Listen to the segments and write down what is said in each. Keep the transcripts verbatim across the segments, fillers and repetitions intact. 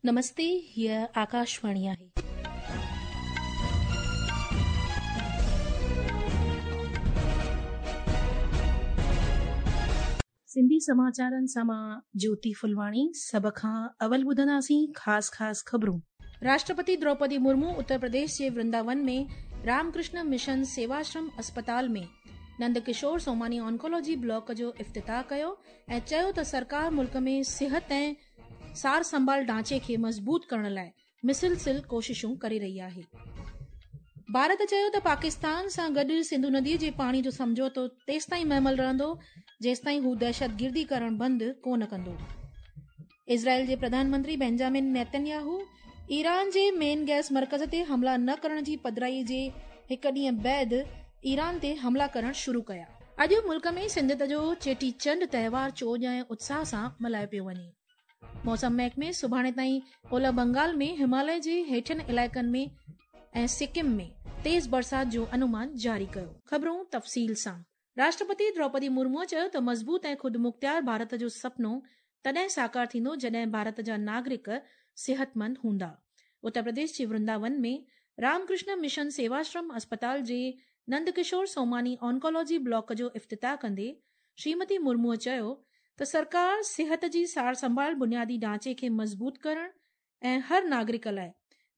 नमस्ते, हीअ आकाशवाणी आहे. सिंधी समाचारनि सां मां ज्योति फुलवाणी। सभ खां अवल ॿुधंदासीं ख़ासि ख़ासि ख़बरूं। राष्ट्रपति द्रौपदी मुर्मू उत्तर प्रदेश जे वृंदावन में रामकृष्ण मिशन सेवाश्रम अस्पताल में नंदकिशोर सोमानी ऑन्कोलॉजी ब्लॉक जो इफ्तिताह कयो ऐं चयो त सरकार मुल्क में सिहत ऐं सार संभाल ढांचे खे मज़बूत करण लाइ मुसलसिल कोशिशूं करे रही आहे। भारत चयो त पाकिस्तान सां गॾु सिंधु नदीअ जे पाणी जो सम्झौतो तेसिताईं महमल रहंदो जेसिताईं हू दहशतगिर्दी करण बंदि कोन कंदो। इज़राइल जे प्रधानमंत्री बेंजामिन नेतन्याहू ईरान जे मेन गैस मर्कज़ ते हमला न करण जी पधराई जे हिकु ॾींहं बाद ईरान ते हमला करण शुरू कया। अॼु मुल्क में सिंधियत जो चेटीचंड तव्हार चोॼ ऐं उत्साह सां मल्हायो पियो वञे। मौसम महकमे सुभाणे ताईं ओलह बंगाल में हिमालय जे हेठियनि इलाइक़नि में ऐं सिक्किम में तेज़ बरसात जो अनुमान जारी कयो। ख़बरूं तफ़सील सां। राष्ट्रपति द्रौपदी मुर्मूअ चयो त मज़बूत ऐं ख़ुदि मुख़्तियार भारत जो सपनो तॾहिं साकार थींदो जॾहिं भारत जा नागरिक सिहतमंद हूंदा। उत्तर प्रदेश जे वृंदावन में रामकृष्ण मिशन सेवाश्रम अस्पताल जे नंदकिशोर सोमानी ऑन्कोलॉजी ब्लॉक जो इफ्तिताह कंदे श्रीमती मुर्मूअ चयो त सरकार सिहत जी सार संभाल बुनियादी ढांचे खे मज़बूत करण ऐं हर नागरिक लाइ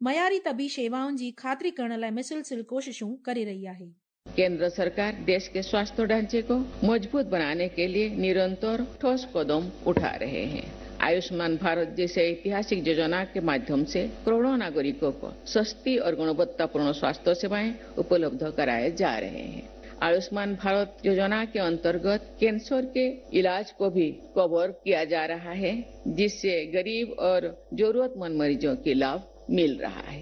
मयारी तबी शेवाउनि जी ख़ातिरी करण लाइ मुसलसिल कोशिशूं करे रही आहे। केंद्र सरकार देश के स्वास्थ्य ढांचे को मजबूत बनाने के लिए निरंतर ठोस कदम उठा रहे हैं। आयुष्मान भारत जैसे ऐतिहासिक योजना के माध्यम से करोड़ों नागरिकों को सस्ती और गुणवत्तापूर्ण स्वास्थ्य सेवाएं उपलब्ध कराए जा रहे हैं। आयुष्मान भारत योजना के अंतर्गत कैंसर के इलाज को भी कवर किया जा रहा है, जिससे गरीब और जरूरतमंद मरीजों के लाभ मिल रहा है।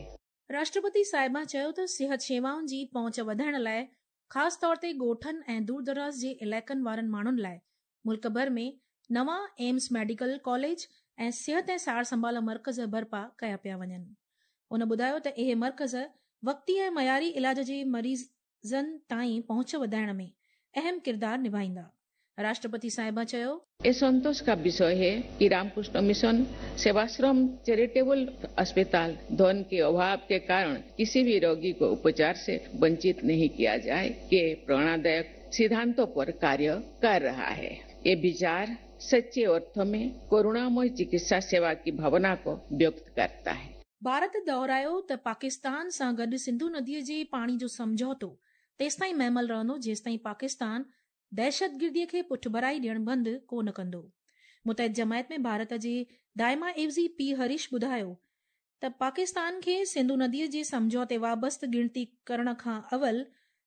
राष्ट्रपति साहिबा चयो त सिहत शेवाउनि जी पहुंच वधाइण लाइ ख़ासि तौर ते ॻोठनि ऐं दूर दराज़ जे इलाइक़नि वारनि माण्हुनि लाइ मुल्क भर में नवां एम्स मेडिकल कॉलेज ऐं सिहत ऐं सार संभाल मर्कज़ बर्पा कया पिया वञनि। उन ॿुधायो त इहे मर्कज़ वक़्ती ऐं मयारी इलाज जे मरीज़नि ताईं पहुंच वधाइण में अहम किरदारु निभाईंदा। राष्ट्रपति साहिबा चयो, ये संतोष का विषय है कि रामकृष्ण मिशन सेवाश्रम चैरिटेबल अस्पताल धन के अभाव के कारण किसी भी रोगी को उपचार से वंचित नहीं किया जाए के प्रेरणादायक सिद्धांतों पर कार्य कर रहा है। ये विचार सच्चे अर्थ में करुणामय चिकित्सा सेवा की भावना को व्यक्त करता है। भारत दोहरायो त पाकिस्तान सां गॾु सिंधु नदीअ जे पाणी जो सम्झौतो तेसिताईं महमल रहंदो जेसिताईं पाकिस्तान दहशतगिर्दीअ खे पुठभराई ॾियणु बंदि कोन कंदो। मुतहद जमायत में भारत जे दाइमा एवज़ी पी हरीश ॿुधायो त पाकिस्तान खे सिंधु नदीअ जे सम्झौते वाबस्त गिणती करण खां अवल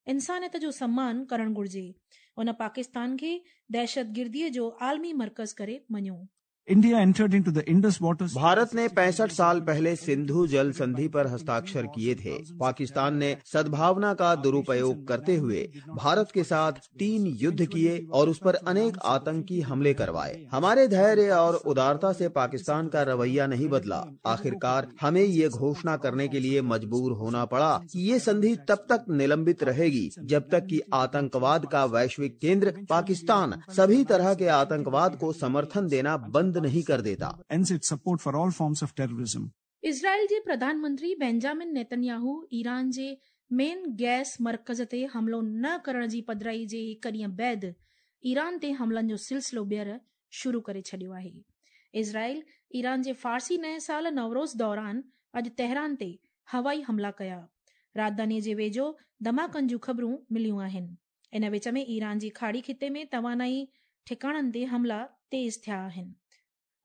इंसानियत जो सम्मान करणु घुरिजे। उन पाकिस्तान खे दहशतगिर्दीअ जो आलमी मर्कज़ करे मञियो। India entered into the Indus Waters. Bharat ने पैंसठ साल पहले सिंधु जल संधि पर हस्ताक्षर किए थे। पाकिस्तान ने सद्भावना का दुरुपयोग करते हुए भारत के साथ तीन युद्ध किए और उस पर अनेक आतंकी हमले करवाए। हमारे धैर्य और उदारता से पाकिस्तान का रवैया नहीं बदला। आखिरकार हमें ये घोषणा करने के लिए मजबूर होना पड़ा कि ये संधि तब तक निलंबित रहेगी जब तक कि आतंकवाद का वैश्विक केंद्र पाकिस्तान सभी तरह के आतंकवाद को समर्थन देना बंद नहीं कर देता। Ends its support for all forms of terrorism. Israel जे प्रधानमंत्री बेंजामिन नेतन्याहू ईरान जे मेन गैस मर्कज़ ते हमलो न करण जी पधराई जे हिकु ॾींहं बाद ईरान ते हमलनि जो सिलसिलो ॿीहर शुरू करे छॾियो आहे। इज़राइल ईरान जे फ़ारसी नए साल नवरोज़ दौरान अॼु तेहरान ते हवाई हमला कया। राजधानीअ जे वेझो धमाकनि जूं ख़बरूं मिलियूं आहिनि। इन विच में ईरान जी खाड़ी ख़िते में तवानाई ठिकाणनि ते हमला तेज़ थिया आहिनि।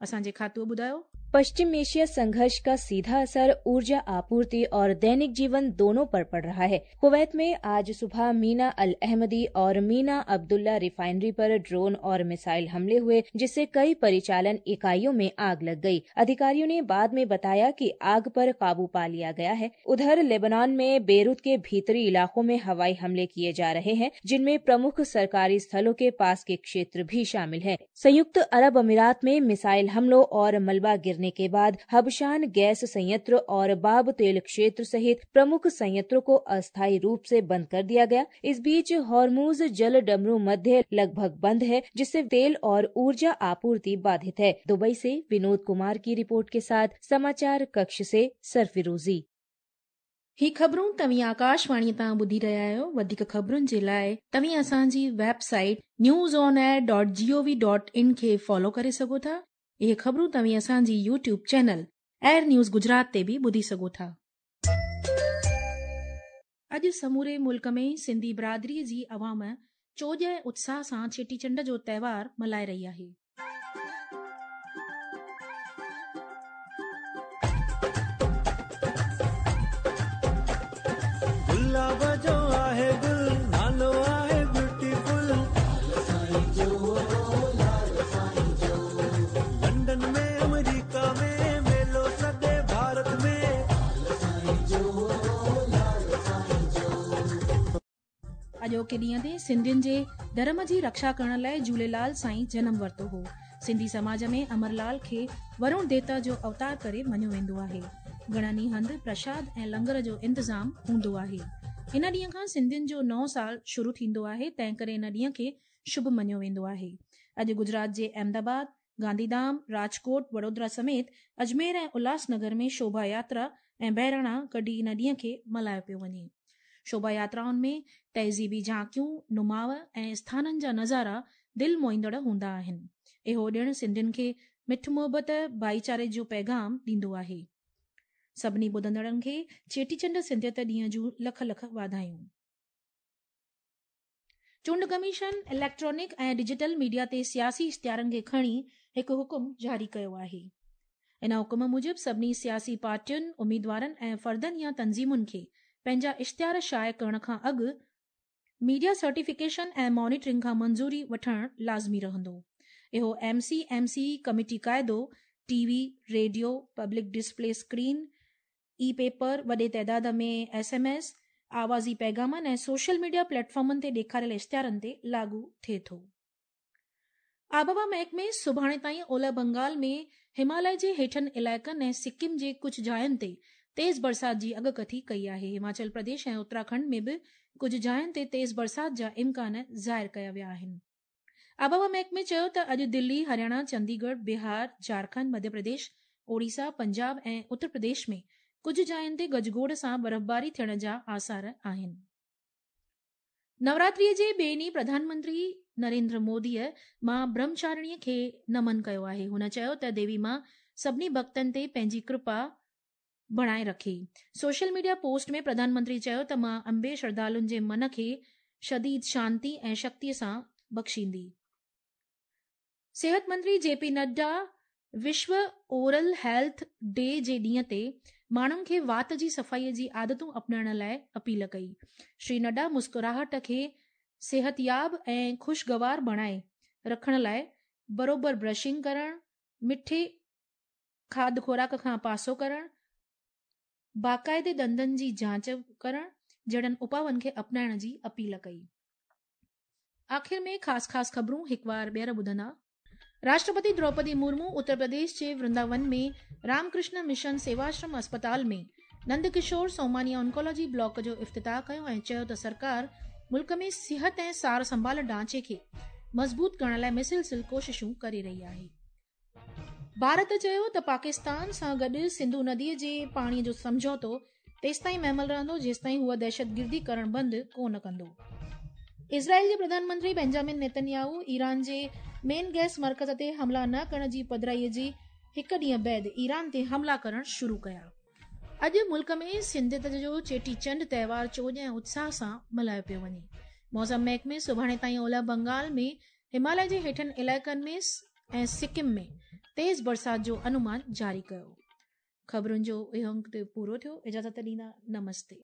असांजे खातूअ ॿुधायो, पश्चिम एशिया संघर्ष का सीधा असर ऊर्जा आपूर्ति और दैनिक जीवन दोनों पर पड़ रहा है। कुवैत में आज सुबह मीना अल अहमदी और मीना अब्दुल्ला रिफाइनरी पर ड्रोन और मिसाइल हमले हुए, जिससे कई परिचालन इकाइयों में आग लग गई। अधिकारियों ने बाद में बताया कि आग पर काबू पा लिया गया है। उधर लेबनान में बेरूत के भीतरी इलाकों में हवाई हमले किए जा रहे हैं, जिनमें प्रमुख सरकारी स्थलों के पास के क्षेत्र भी शामिल है। संयुक्त अरब अमीरात में मिसाइल हमलों और मलबा गिरने गिरने के बाद हबशान गैस संयंत्र और बाब तेल क्षेत्र सहित प्रमुख संयंत्रों को अस्थायी रूप से बंद कर दिया गया। इस बीच हॉर्मूज जल डमरू मध्य लगभग बंद है, जिससे तेल और ऊर्जा आपूर्ति बाधित है। दुबई से विनोद कुमार की रिपोर्ट के साथ समाचार कक्ष से सरफिरोजी। ही ख़बरूं तव्हीं आकाशवाणी तां ॿुधी रहिया आहियो। वधीक ख़बरुनि जे लाइ तव्हीं असांजी website news on air dot G O V dot in खे फॉलो करे सघो था। इहे ख़बरूं तव्हीं असांजी YouTube channel air news Gujarat ते बि ॿुधी सघो था। अॼु समूरे मुल्क में सिंधी बिरादरीअ जी अवाम चोॼ ऐं उत्साह सां चेटीचंड जो त्योहार मल्हाए रही आहे। गुलाब जो आहे गुल, नालो आहे ब्यूटीफुल, लंदन में अमेरिका में मेलो सदे भारत में। अॼोके ॾींहं ते सिंधियुनि जे धर्म जी रक्षा करण लाइ झूलेलाल साईं जनम वरितो हो। सिंधी समाज में अमरलाल खे वरुण देवता जो अवतार करे मञियो वेंदो आहे। घणनि हंधि प्रसाद ऐं लंगर जो इंतज़ाम हूंदो आहे। इन ॾींहं खां सिंधियुनि जो नओं साल शुरू थींदो आहे, तंहिं करे इन ॾींहं खे शुभ मञियो वेंदो आहे। अॼु गुजरात जे अहमदाबाद, गांधीधाम, राजकोट, वडोदरा समेत अजमेर ऐं उल्हासनगर में शोभा यात्रा ऐं बहिराणा कढी इन ॾींहं खे मल्हायो पियो वञे। शोभा यात्राउनि में तहज़ीबी झांकियूं, नुमाव ऐं स्थाननि जा नज़ारा दिलि मोहींदड़ हूंदा आहिनि। इहो ॾिणु सिंधियुनि खे मिठ मोहबत, भाईचारे जो पैगाम ॾींदो आहे। सभिनी ॿुधंदड़नि खे चेटीचंड सिंधियत ॾींहं जूं लख लख वाधायूं। चूंड कमीशन इलेक्ट्रॉनिक ऐं डिजिटल मीडिया ते सियासी इश्तिहारनि खे खणी हिकु हुकुम जारी कयो आहे। इन हुकुम मूजिबि सभिनी सियासी पार्टियुनि, उम्मीदवारनि ऐं फर्दनि या तंज़ीमुनि खे पंहिंजा इश्तिहार शाया करण खां अॻु मीडिया सर्टिफिकेशन ऐं मॉनिटरिंग खां मंज़ूरी वठणु लाज़मी रहंदो। इहो M C M C committee क़ाइदो T V, radio, public display screen, e paper, वॾे तादाद में एस एम एस, आवाज़ी पैगामनि ऐं सोशल मीडिया प्लेटफॉर्मनि ते ॾेखारियल इश्तिहारनि ते लागू थिए थो। आबहवा महकमे सुभाणे ताईं ओलह बंगाल में हिमालय जे हेठनि इलाइक़नि ऐं सिक्किम जे कुझु जायुनि ते तेज़ बरसाति जी अॻकथी कई आहे। हिमाचल प्रदेश ऐं उत्तराखंड में बि कुझु जायुनि ते तेज़ बरसाति जा इम्कान ज़ाहिर कया विया आहिनि। आबहवा महकमे चयो त अॼु दिल्ली, हरियाणा, चंडीगढ़, बिहार, झारखंड, मध्य प्रदेश, ओडिशा, पंजाब ऐं उत्तर प्रदेश में कुझु जायुनि ते गजगोड़ सां बर्फ़बारी थियण जा आसार आहिनि। नवरात्रीअ जे ॿिए ॾींहुं प्रधानमंत्री नरेंद्र मोदीअ मां ब्रह्मचारिणीअ खे नमन कयो आहे। हुन चयो त देवी मां सभिनी भक्तनि ते पंहिंजी कृपा बणाए रखे। सोशल मीडिया पोस्ट में प्रधानमंत्री चयो त मां अम्बे श्रद्धालुनि जे मन खे शदीद शांति ऐं शक्तिअ सां बख़्शींदी। सेहत मंत्री जे पी नड्डा विश्व ओरल हेल्थ डे जे ॾींहं ते माण्हुनि खे वात जी सफ़ाईअ जी आदतूं अपनाइण लाइ अपील कई। श्री नड्डा मुस्कुराहट खे सिहतयाब ऐं ख़ुशगवार बणाए रखण लाइ बरोबर ब्रशिंग करणु, मिठे खाध ख़ुराक खां पासो करणु, बाक़ाइदे ॾंदनि जी जांच करणु जहिड़नि उपाउनि खे अपनाइण जी अपील कई। आख़िर में ख़ासि ख़ासि ख़बरूं हिकु बार ॿीहर ॿुधंदा। राष्ट्रपति द्रौपदी मुर्मू उत्तर प्रदेश जे वृंदावन में रामकृष्ण मिशन सेवाश्रम अस्पताल में नंदकिशोर सोमानिया ऑन्कोलॉजी ब्लॉक जो इफ्तिताह कयो ऐं चयो त सरकार मुल्क में सिहत ऐं सार संभाल ढांचे खे मज़बूत करण लाइ मुसलसिल कोशिशूं करे रही आहे। भारत चयो त पाकिस्तान सां गॾु सिंधु नदीअ जे पाणीअ जो सम्झौतो तेसिताईं महमल रहंदो जेसिताईं हूअ दहशतगिर्दी करणु बंदि कोन कंदो। इज़राइल जे प्रधानमंत्री बेंजामिन नेतन्याहू ईरान जे मेन गैस मर्कज़ ते हमला न करण जी पधराईअ जी हिकु ॾींहं बाद ईरान ते हमला करणु शुरू कया। अॼु मुल्क में सिंधियत जो चेटीचंड त्योहार चोॼ ऐं उत्साह सां मल्हायो पियो वञे। मौसम महकमे सुभाणे ताईं ओलह बंगाल में हिमालय जे हेठनि इलाइक़नि में ऐं सिक्किम में तेज़ बरसाति जो अनुमान जारी कयो। ख़बरुनि जो इहो अंक पूरो थियो। इजाज़त ॾींदा, नमस्ते।